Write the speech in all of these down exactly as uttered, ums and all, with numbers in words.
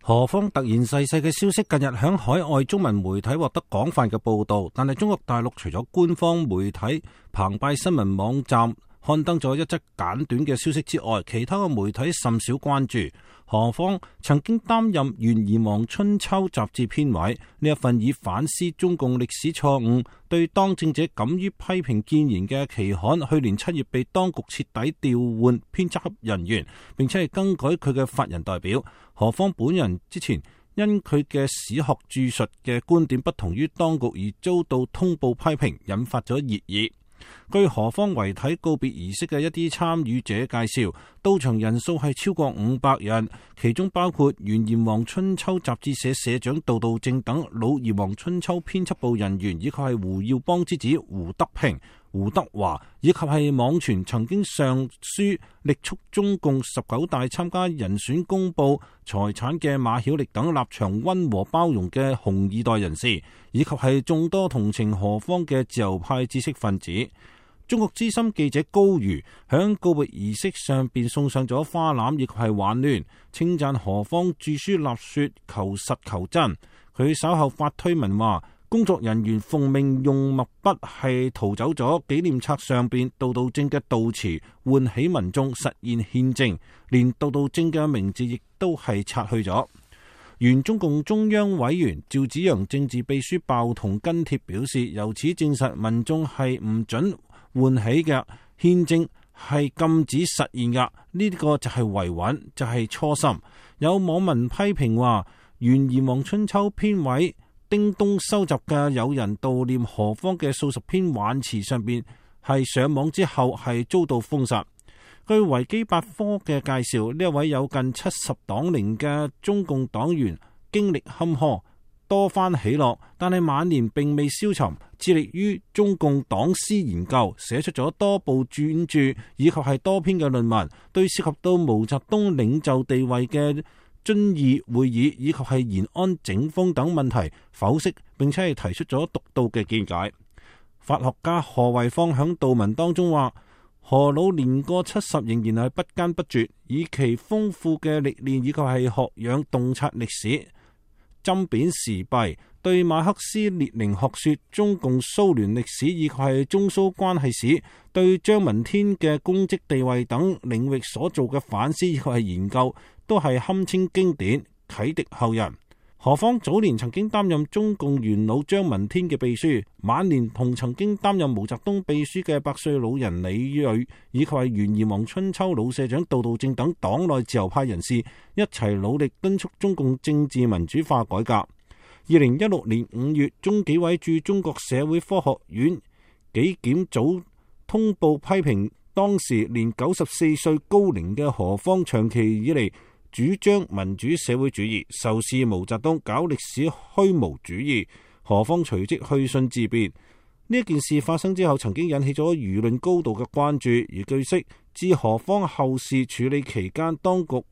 何方突然逝世嘅消息近日響海外中文媒體獲得廣泛嘅報道，但係中國大陸除咗官方媒體澎湃新聞網站刊登咗一則簡短嘅消息之外，其他嘅媒體甚少關注。何方曾經擔任《原炎黃春秋》雜誌編委，呢一份以反思中共歷史錯誤、對當政者敢於批評建言嘅期刊，去年七月被當局徹底調換編輯人員，並且係更改佢嘅法人代表。何方本人之前因佢嘅史學著述嘅觀點不同於當局而遭到通報批評，引發咗熱議。據何方遺體告別儀式嘅一啲參與者介紹，到場人數係超過五百人，其中包括原炎黃春秋雜誌社社長杜道正等老炎黃春秋編輯部人員，以及係胡耀邦之子胡德平、胡德華，以及係網傳曾經上書力促中共十九大參加人選公布財產嘅馬曉力等立場溫和包容嘅紅二代人士，以及係眾多同情何方嘅自由派知識分子。中國資深記者高瑜響告別儀式上邊送上咗花籃，亦係挽聯，稱讚何方著書立說求實求真。佢稍後發推文話，工作人員奉命用墨筆係塗走咗紀念冊上邊杜道正嘅悼詞，喚起民眾實現憲政，連杜道正嘅名字亦都係擦去咗。原中共中央委員趙紫陽政治秘書鮑彤跟帖表示，由此證實民眾係唔准喚起嘅，憲政係禁止實現嘅，呢、這個就係維穩，就係、是、初心。有網民批評話，原炎黃春秋編委丁東收集嘅有人悼念何方嘅數十篇挽詞上邊係上網之後係遭到封殺。據維基百科嘅介紹，呢一位有近七十黨齡嘅中共黨員經歷坎坷，多番起落，但係晚年並未消沉，致力於中共黨史研究，寫出咗多部專著以及係多篇嘅論文，對涉及到毛澤東領袖地位嘅遵義會議以及係延安整風等問題剖析，並且係提出咗獨到嘅見解。法學家何維芳響悼文當中話，何老年過七十仍然係不堅不絕，以其豐富嘅歷練以及係學養洞察歷史、針砭時弊，對馬克思列寧學說、中共蘇聯歷史以及係中蘇關係史、對張聞天嘅公職地位等領域所做嘅反思以及係研究，都係堪稱經典，啟迪後人。何方早年曾經擔任中共元老張聞天嘅秘書，晚年同曾經擔任毛澤東秘書嘅百歲老人李銳，以及係原炎黃春秋老社長杜道正等黨內自由派人士一齊努力敦促中共政治民主化改革。二零一六年五月，中紀委駐中國社會科學院紀檢組通報批評，當時年九十四歲高齡嘅何方長期以嚟主張民主社會主義，仇視毛澤東，搞歷史虛無主義。何方隨即去信自辯。呢一件事發生之後，曾經引起咗輿論高度嘅關注。而據悉，自何方後事處理期間，當局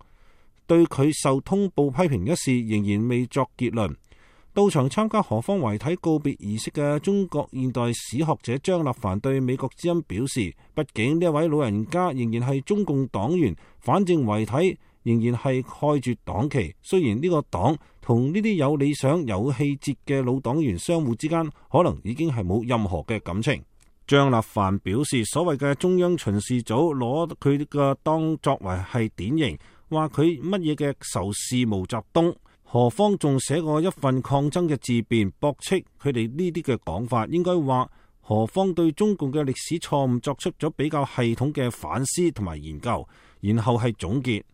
對佢受通報批評一事仍然未作結論。到場參加何方遺體告別儀式嘅中國現代史學者張立凡對美國之音表示，畢竟呢一位老人家仍然係中共黨員，反正遺體仍然係蓋住黨旗。雖然呢個黨同呢啲有理想有氣節嘅老黨員相互之間可能已經係冇任何嘅感情。張立凡表示，所謂嘅中央巡視組攞佢嘅當作為係典型，話佢乜嘢嘅仇視毛澤東。何方仲寫過一份抗爭嘅自辯，駁斥佢哋呢啲嘅講法。應該話何方對中共嘅歷史錯誤作出咗比較系統嘅反思同埋研究，然後係總結。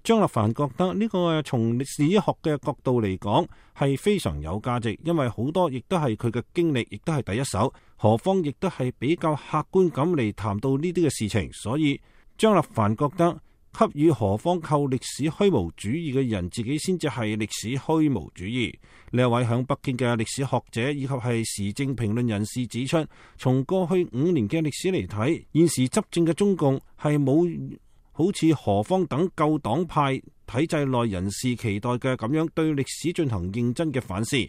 張立凡覺得呢個從歷史學嘅角度嚟講係非常有價值，因為好多亦都係佢嘅經歷，亦都係第一手。何方亦都係比較客觀咁嚟談到呢啲嘅事情，所以張立凡覺得給予何方扣歷史虛無主義嘅人，自己先至係歷史虛無主義。呢一位響北京嘅歷史學者以及係時政評論人士指出，從過去五年嘅歷史嚟睇，現時執政嘅中共係冇好似何方等舊黨派體制內人士期待嘅咁樣對歷史進行認真嘅反思，吸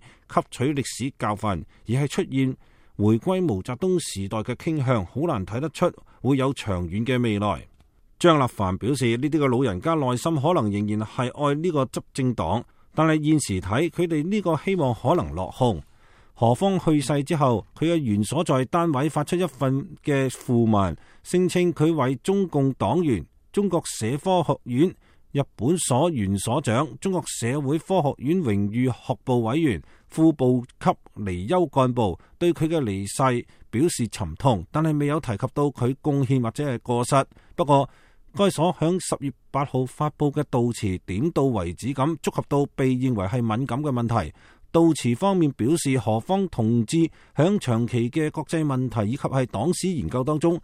取歷史教訓，而係出現回歸毛澤東時代嘅傾向，好難睇得出會有長遠嘅未來。張立凡表示，呢啲嘅老人家內心可能仍然係愛呢個執政黨，但係現時睇，佢哋呢個希望可能落空。何方去世之後，佢嘅原所在單位發出一份嘅訃文，聲稱佢為中共黨員、中國社科學院日本所原所長、中國社會科學院榮譽學部委員、副部級離休幹部，對佢嘅離世表示沉痛，但係未有提及到佢貢獻或者係過失。不過，該所響十月八號發佈嘅悼詞點到為止咁觸及到被認為係敏感嘅問題。悼詞方面表示，何方同志響長期嘅國際問題以及係黨史研究當中，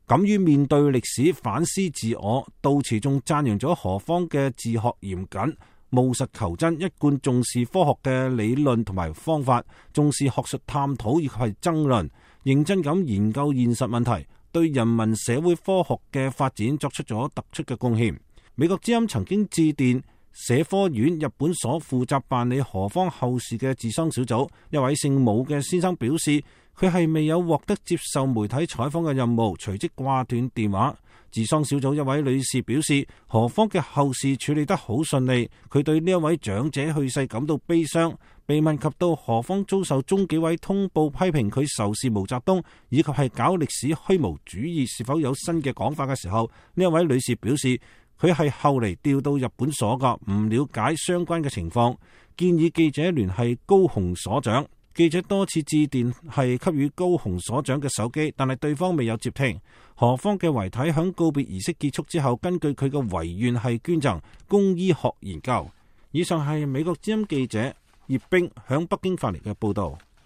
敢於面對歷史反思自我。悼詞仲讚揚咗何方嘅自學嚴謹、務實求真，一貫重視科學嘅理論同埋方法，重視學術探討以及係爭論，認真咁研究現實問題，對人民社會科學嘅發展作出咗突出嘅貢獻。美國之音曾經致電社科院日本所負責辦理何方後事嘅治喪小組，一位姓武嘅先生表示，佢係未有獲得接受媒體採訪嘅任務，隨即掛斷電話。治喪小組一位女士表示，何方嘅後事處理得好順利，佢對呢一位長者去世感到悲傷。被問及到何方遭受中紀委通報批評佢仇視毛澤東以及係搞歷史虛無主義是否有新嘅講法嘅時候，呢一位女士表示，佢係後嚟調到日本所噶，唔了解相關嘅情況，建議記者聯繫高雄所長。記者多次致電係給予高雄所長嘅手機，但係對方未有接聽。何方嘅遺體響告別儀式結束之後，根據佢嘅遺願係捐贈供醫學研究。以上係美國之音記者葉冰響北京發嚟嘅報道。